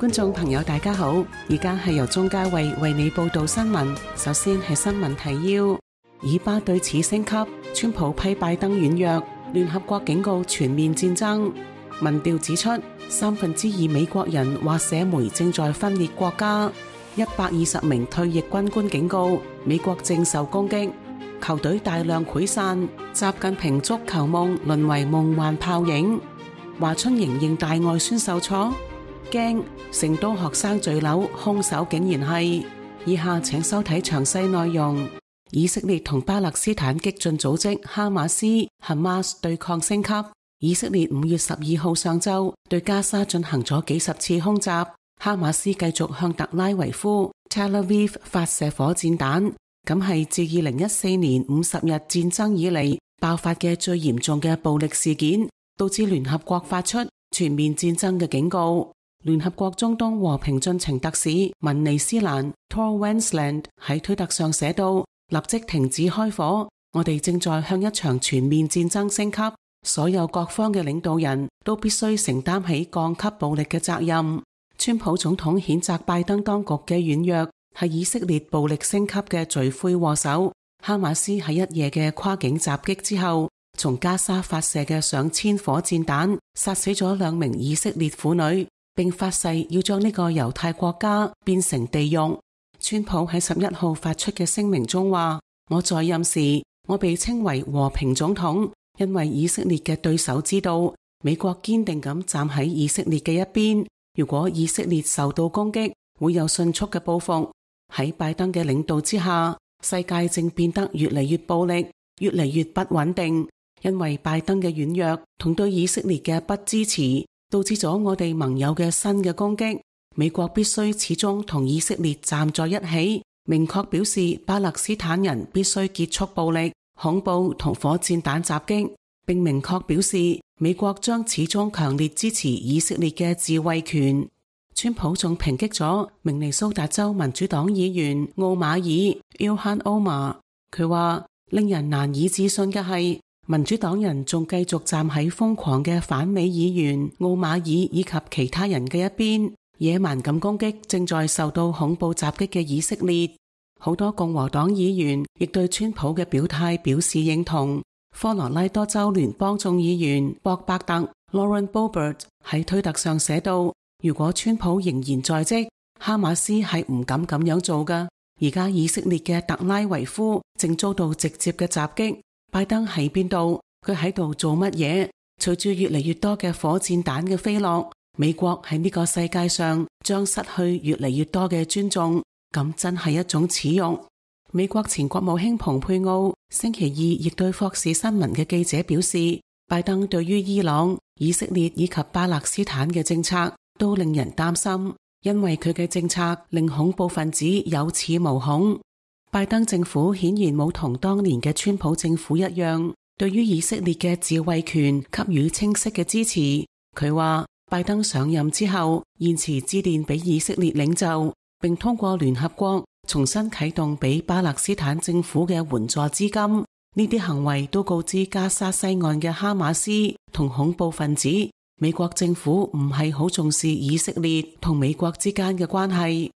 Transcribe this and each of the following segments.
觀眾朋友大家好，而家係由鍾嘉慧為你報道新聞。首先係新聞提要：以巴對峙升級，川普批拜登軟弱，聯合國警告全面戰爭。民調指出，2/3美國人話社媒正在分裂國家。120名退役軍官警告美國正受攻擊。球隊大量潰散，習近平足球夢淪為夢幻泡影。華春瑩認大外宣受挫，驚成都學生墜樓，兇手竟然係。以下請收睇詳細內容。以色列同巴勒斯坦激進組織哈馬斯 Hamas 對抗升級。以色列5月12號上晝對加沙進行咗幾十次空襲，哈馬斯繼續向特拉維夫 Tel Aviv 發射火箭彈，咁係自2014年50日戰爭以嚟爆發嘅最嚴重嘅暴力事件，導致聯合國發出全面戰爭嘅警告。聯合國中東和平進程特使文尼斯蘭 Tor Wensland 喺推特上寫道：立即停止開火，我哋正在向一場全面戰爭升級，所有各方嘅領導人都必須承擔起降級暴力嘅責任。川普總統譴責拜登當局嘅軟弱，係以色列暴力升級嘅罪魁禍首。哈馬斯喺一夜嘅跨境襲擊之後，從加沙發射嘅上千火箭彈，殺死咗2名以色列婦女，並發誓要將呢個猶太國家變成地獄。川普喺11號發出嘅聲明中話：我在任時，我被稱為和平總統，因為以色列嘅對手知道，美國堅定咁站喺以色列嘅一邊。如果以色列受到攻擊，會有迅速嘅報復。喺拜登嘅領導之下，世界正變得越嚟越暴力，越嚟越不穩定。因為拜登嘅軟弱同對以色列嘅不支持，導致咗我哋盟友嘅新嘅攻擊。美國必須始終同以色列站在一起，明確表示巴勒斯坦人必須結束暴力、恐怖同火箭彈襲擊，並明確表示美國將始終強烈支持以色列嘅自衛權。川普仲抨擊咗明尼蘇達州民主黨議員奧馬爾 Ilhan Omar， 佢話令人難以置信嘅係，民主黨人仲繼續站喺瘋狂嘅反美議員奧馬爾以及其他人嘅一邊，野蠻咁攻擊正在受到恐怖襲擊嘅以色列。好多共和黨議員亦對川普嘅表態表示認同。科羅拉多州聯邦眾議員博伯特 Lauren Boebert 喺推特上寫道：如果川普仍然在職，哈馬斯係唔敢咁樣做㗎。而家以色列嘅特拉維夫正遭到直接嘅襲擊，拜登喺邊度？佢喺度做乜嘢？隨住越嚟越多嘅火箭彈嘅飛落，美國喺呢個世界上將失去越嚟越多嘅尊重，咁真係一種恥辱。美國前國務卿蓬佩奧星期二亦對霍士新聞嘅記者表示，拜登對於伊朗、以色列以及巴勒斯坦嘅政策都令人擔心，因為佢嘅政策令恐怖分子有恃無恐。拜登政府顯然冇同當年嘅川普政府一樣，對於以色列嘅自衛權給予清晰嘅支持。佢話拜登上任之後，延遲致電俾以色列領袖，並通過聯合國重新啟動俾巴勒斯坦政府嘅援助資金。呢啲行為都告知加沙西岸嘅哈馬斯同恐怖分子，美國政府唔係好重視以色列同美國之間嘅關係。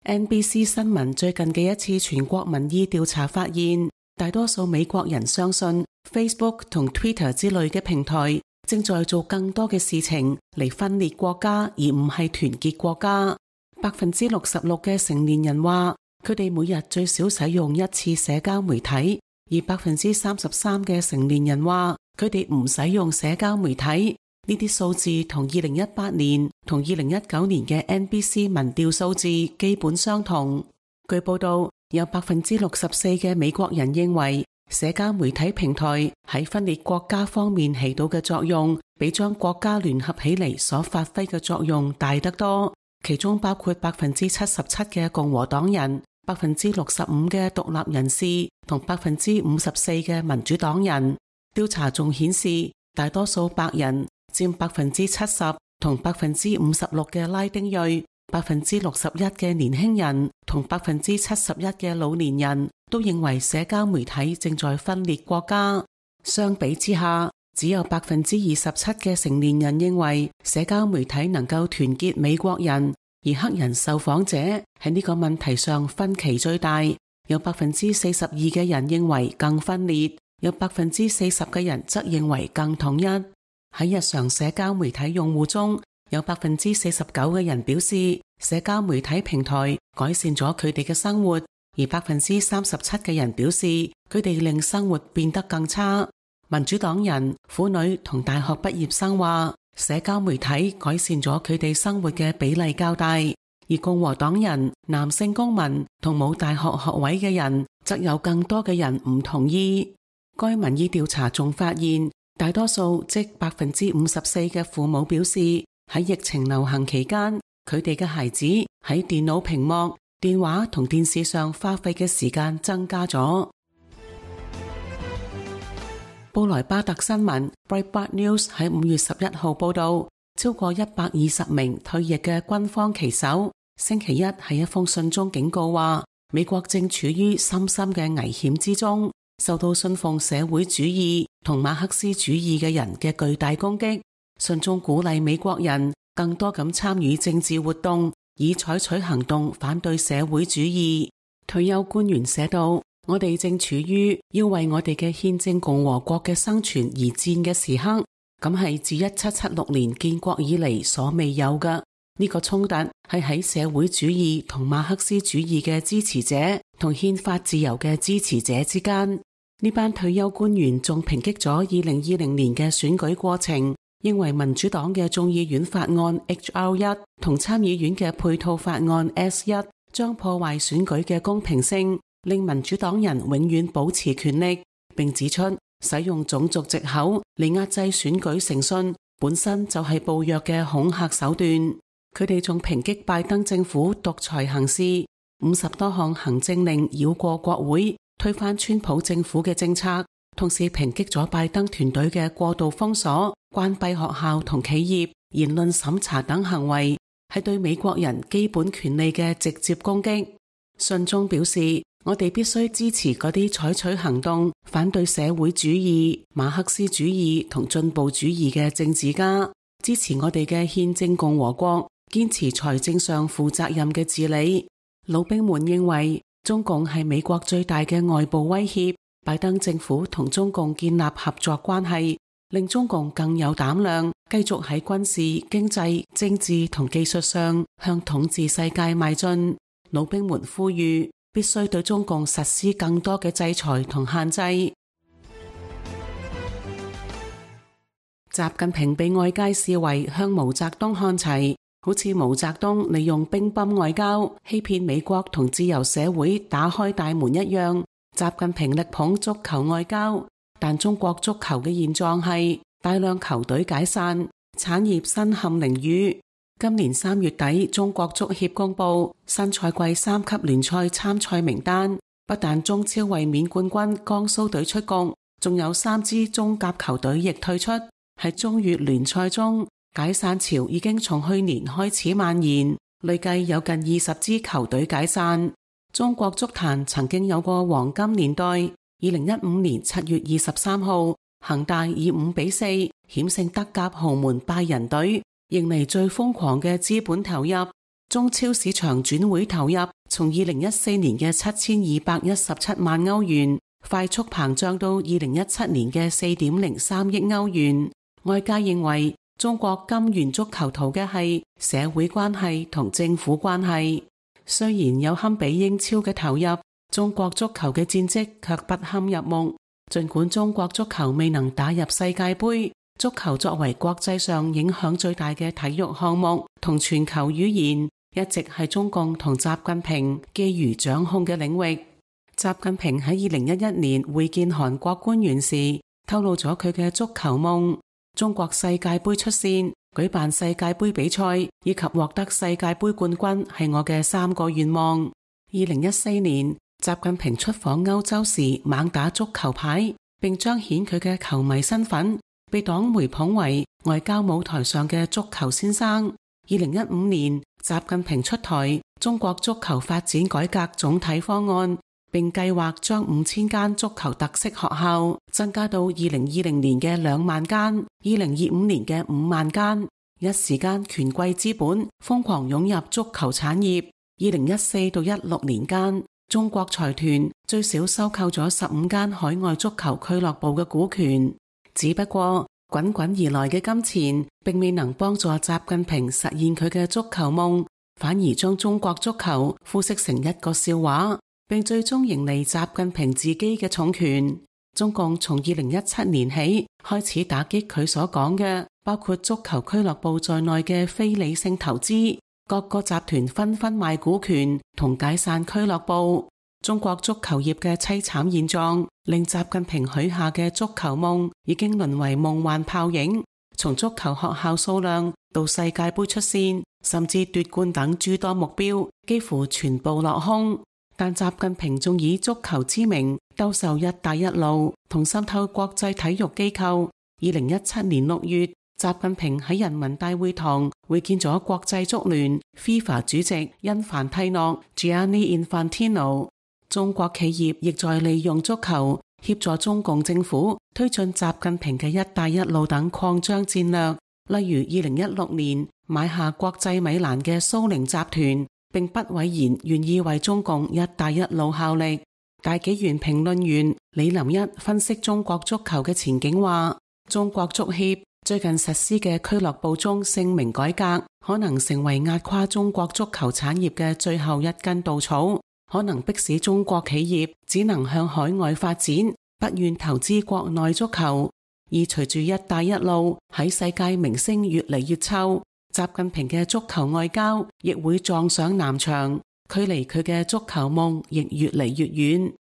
NBC 新聞最近嘅一次全國民意調查發現，大多數美國人相信 Facebook 同 Twitter 之類嘅平台正在做更多嘅事情嚟分裂國家，而唔係團結國家。66%嘅成年人話，佢哋每日最少使用一次社交媒體，而33%嘅成年人話，佢哋唔使用社交媒體。呢啲數字同2018年同2019年嘅 NBC 民調數字基本相同。據報道，有64%嘅美國人認為社交媒體平台喺分裂國家方面起到嘅作用，比將國家聯合起嚟所發揮嘅作用大得多。其中包括77%嘅共和黨人、65%嘅獨立人士同54%嘅民主黨人。調查仲顯示，大多數白人佔70%同56%嘅拉丁裔、61%嘅年輕人同71%嘅老年人都認為社交媒體正在分裂國家。相比之下，只有27%嘅成年人認為社交媒體能夠團結美國人，而黑人受訪者喺呢個問題上分歧最大，有42%嘅人認為更分裂，有40%嘅人則認為更統一。喺日常社交媒體用戶中，有49%嘅人表示社交媒體平台改善咗佢哋嘅生活，而37%嘅人表示佢哋令生活變得更差。民主黨人、婦女同大學畢業生話，社交媒體改善咗佢哋生活嘅比例較大，而共和黨人、男性公民同冇大學學位嘅人則有更多嘅人唔同意。該民意調查仲發現，大多數即54%嘅父母表示喺疫情流行期間，佢哋嘅孩子喺電腦屏幕、電話同電視上花費嘅時間增加咗。布萊巴特新聞 Breitbart News 喺5月11號報道，超過120名退役嘅軍方旗手星期一喺一封信中警告話，美國正處於深深嘅危險之中，受到信奉社會主義同馬克思主義嘅人嘅巨大攻擊。信中鼓勵美國人更多咁參與政治活動，以採取行動反對社會主義。退休官員寫道，我哋正處於要為我哋嘅憲政共和國嘅生存而戰嘅時刻，咁係自1776年建國以嚟所未有嘅。呢個衝突係喺社會主義同馬克思主義嘅支持者同憲法自由嘅支持者之間。呢班退休官員仲抨擊咗2020年嘅選舉過程，認為民主黨嘅眾議院法案 HR1 同參議院嘅配套法案 S1 將破壞選舉嘅公平性，令民主黨人永遠保持權力，並指出使用種族藉口嚟壓制選舉誠信本身就係暴虐嘅恐嚇手段。佢哋仲抨擊拜登政府獨裁行事，50多項行政令繞過國會，推翻川普政府嘅政策，同時抨擊咗拜登團隊嘅過度封鎖、關閉學校同企業、言論審查等行為，係對美國人基本權利嘅直接攻擊。信中表示，我哋必須支持嗰啲採取行動反對社會主義、馬克思主義同進步主義嘅政治家，支持我哋嘅憲政共和國，堅持財政上負責任嘅治理。老兵們認為中共係美國最大嘅外部威脅，拜登政府同中共建立合作關係，令中共更有膽量繼續喺軍事、經濟、政治同技術上向統治世界邁進。老兵們呼籲必須對中共實施更多嘅制裁同限制。習近平被外界視為向毛澤東看齊，好似毛澤東利用乒乓外交欺騙美國同自由社會打開大門一樣。習近平力捧足球外交，但中國足球嘅現狀係大量球隊解散，產業身陷囹圄。今年3月底，中國足協公布新賽季3級聯賽參賽名單，不但中超衛冕冠軍江蘇隊出局，仲有3支中甲球隊亦退出。喺中乙聯賽中，解散潮已經從去年開始蔓延，累計有近20支球隊解散。中國足壇曾經有過黃金年代，2015年7月23號，恒大以5-4險勝德甲豪門拜仁隊，迎嚟最瘋狂嘅資本投入。中超市場轉會投入從2014年嘅7217萬歐元，快速膨脹到2017年嘅4.03億歐元。外界認為中國金元足球圖嘅係社會關係同政府關係。雖然有堪比英超嘅投入，中國足球嘅戰績卻不堪入目。儘管中國足球未能打入世界盃，足球作為國際上影響最大嘅體育項目同全球語言，一直係中共同習近平覬覦掌控嘅領域。習近平喺2011年會見韓國官員時，透露咗佢嘅足球夢：中國世界盃出線、舉辦世界盃比賽以及獲得世界盃冠軍係我嘅3個願望。2014年，習近平出訪歐洲時猛打足球牌，並彰顯佢嘅球迷身份，被黨媒捧為外交舞台上嘅足球先生。2015年，習近平出台中國足球發展改革總體方案，並計劃將5000間足球特色學校增加到2020年嘅2萬間，2025年嘅5萬間。一時間權貴資本瘋狂湧入足球產業。2014到16年間，中國財團最少收購咗15間海外足球俱樂部嘅股權。只不過滾滾而來嘅金錢並未能幫助習近平實現佢嘅足球夢，反而將中國足球腐蝕成一個笑話，並最終迎嚟習近平自己嘅重拳。中共從2017年起開始打擊佢所講嘅包括足球俱樂部在內嘅非理性投資，各個集團紛紛賣股權同解散俱樂部。中國足球業嘅淒慘現狀令習近平許下嘅足球夢已經淪為夢幻泡影。從足球學校數量到世界盃出線甚至奪冠等諸多目標幾乎全部落空。但習近平仲以足球之名兜售一帶一路同滲透國際體育機構。2017年6月，習近平喺人民大會堂會見咗國際足聯 FIFA 主席因凡蒂諾 Gianni Infantino。中國企業亦在利用足球協助中共政府推進習近平嘅一帶一路等擴張戰略。例如2016年買下國際米蘭嘅蘇寧集團，並不諱言願意為中共一帶一路效力。大紀元評論員李林一分析中國足球嘅前景話，中國足協最近實施嘅俱樂部鐘姓名改革可能成為壓垮中國足球產業嘅最後一根稻草，可能迫使中國企業只能向海外發展，不願投資國內足球。而隨住一帶一路喺世界名聲越嚟越臭，習近平嘅足球外交亦會撞上南牆，距離佢嘅足球夢亦越嚟越遠。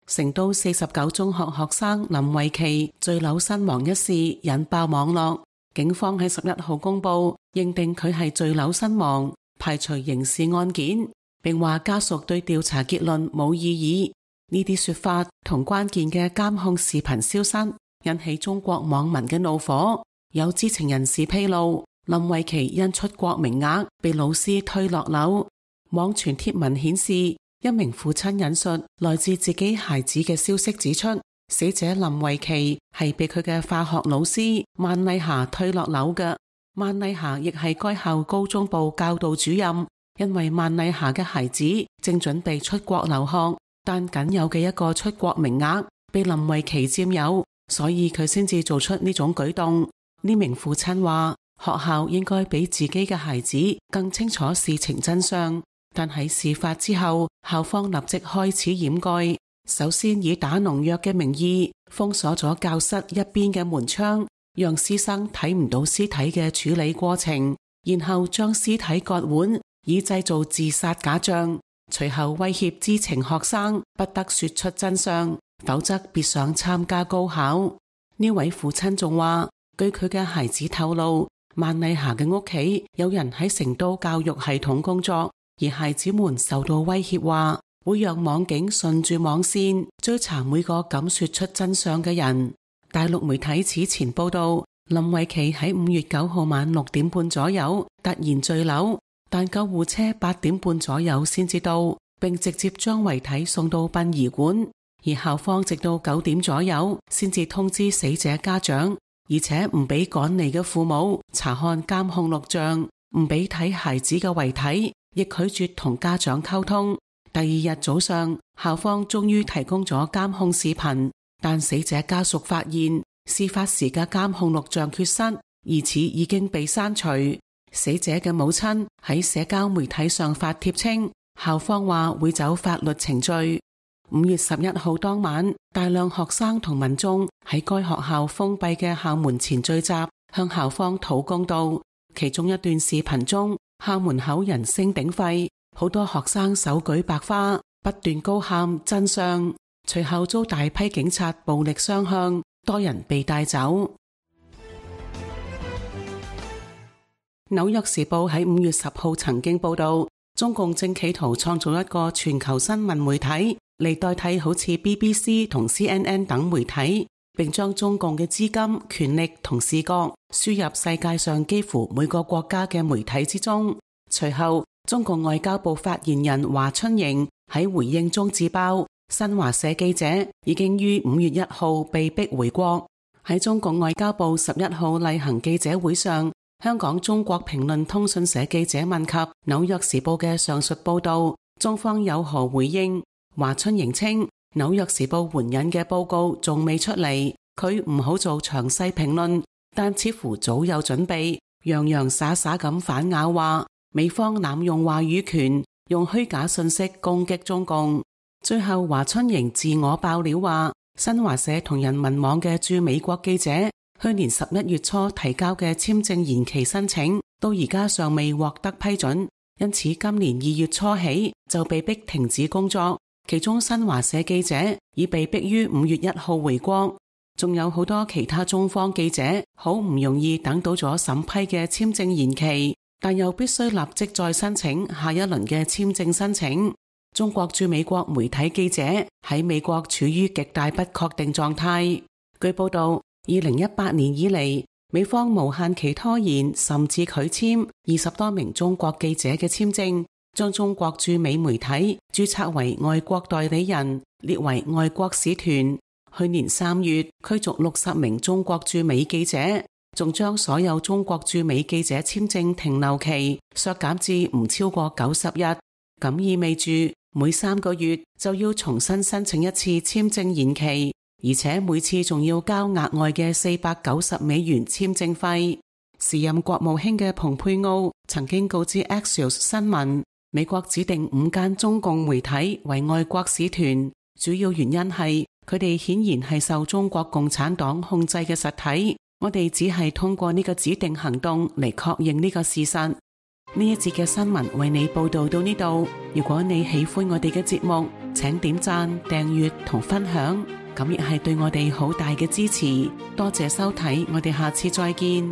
成都49中學學生林慧琪墜樓身亡一事引爆網絡，警方喺11號公布認定佢係墜樓身亡，排除刑事案件，並話家屬對調查結論冇異議。呢啲說法同關鍵嘅監控視頻消失引起中國網民嘅怒火。有知情人士披露，林慧琪因出國名額被老師推落樓。網傳貼文顯示，一名父親引述來自自己孩子嘅消息指出，死者林慧琪係被佢嘅化學老師萬麗霞推落樓嘅。萬麗霞亦係該校高中部教導主任。因為萬麗霞嘅孩子正準備出國留學，但僅有嘅一個出國名額被林慧琪佔有，所以佢先至做出呢種舉動。呢名父親話，學校應該比自己嘅孩子更清楚事情真相，但喺事發之後，校方立即開始掩蓋。首先以打農藥嘅名義封鎖咗教室一邊嘅門窗，讓師生睇唔到屍體嘅處理過程，然後將屍體割腕，以製造自殺假象。隨後威脅知情學生不得說出真相，否則別想參加高考。呢位父親仲話，據佢嘅孩子透露，萬麗霞嘅屋企有人喺成都教育系統工作，而孩子們受到威脅話會讓網警順住網線追查每個敢說出真相嘅人。大陸媒體此前報道，林慧琪喺5月9號晚6點半左右突然墜樓，但救護車8點半左右先至到，並直接將遺體送到殯儀館，而校方直到9點左右先至通知死者家長，而且唔俾趕嚟嘅父母查看監控錄像，唔俾睇孩子嘅遺體，亦拒絕同家長溝通。第二日早上，校方終於提供咗監控視頻，但死者家屬發現事發時嘅監控錄像缺失，疑似已經被刪除。死者嘅母親喺社交媒體上發帖稱，校方話會走法律程序。5月11號當晚，大量學生同民眾喺該學校封閉嘅校門前聚集，向校方討公道。其中一段視頻中，校門口人聲鼎沸，好多學生手舉白花，不斷高喊真相。隨後遭大批警察暴力相向，多人被帶走。紐約時報喺5月10號曾經報道，中共正企圖創造一個全球新聞媒體嚟代替好似 BBC 同 CNN 等媒體，並將中共嘅資金、權力同視覺輸入世界上幾乎每個國家嘅媒體之中。隨後中共外交部發言人華春瑩喺回應中自爆，新華社記者已經於5月1號被逼回國。喺中共外交部11號例行記者會上，香港中國評論通訊社記者問及紐約時報嘅上述報道，中方有何回應？華春瑩稱，紐約時報援引嘅報告仲未出嚟，佢唔好做詳細評論，但似乎早有準備，洋洋灑灑咁反咬話美方濫用話語權，用虛假信息攻擊中共。最後華春瑩自我爆料話，新華社同人民網嘅駐美國記者去年11月初提交嘅簽證延期申請，到而家尚未獲得批准，因此今年2月初起就被逼停止工作。其中新華社記者已被逼於5月1號回國，仲有好多其他中方記者好唔容易等到咗審批嘅簽證延期，但又必須立即再申請下一輪嘅簽證申請。中國駐美國媒體記者喺美國處於極大不確定狀態。據報道，2018年以嚟，美方無限期拖延甚至拒簽20多名中國記者嘅簽證，將中國駐美媒體註冊為外國代理人，列為外國使團。去年3月驅逐60名中國駐美記者，仲將所有中國駐美記者簽證停留期削減至唔超過90日，咁意味住每3個月就要重新申請一次簽證延期，而且每次仲要交額外嘅490美元簽證費。時任國務卿嘅蓬佩奧曾經告知 Axios 新聞，美國指定5間中共媒體為外國使團，主要原因係佢哋顯然係受中國共產黨控制嘅實體，我哋只係通過呢個指定行動嚟確認呢個事實。呢一節嘅新聞為你報道到呢度，如果你喜歡我哋嘅節目，請點讚、訂閱同分享，咁亦係對我哋好大嘅支持。多謝收睇，我哋下次再見。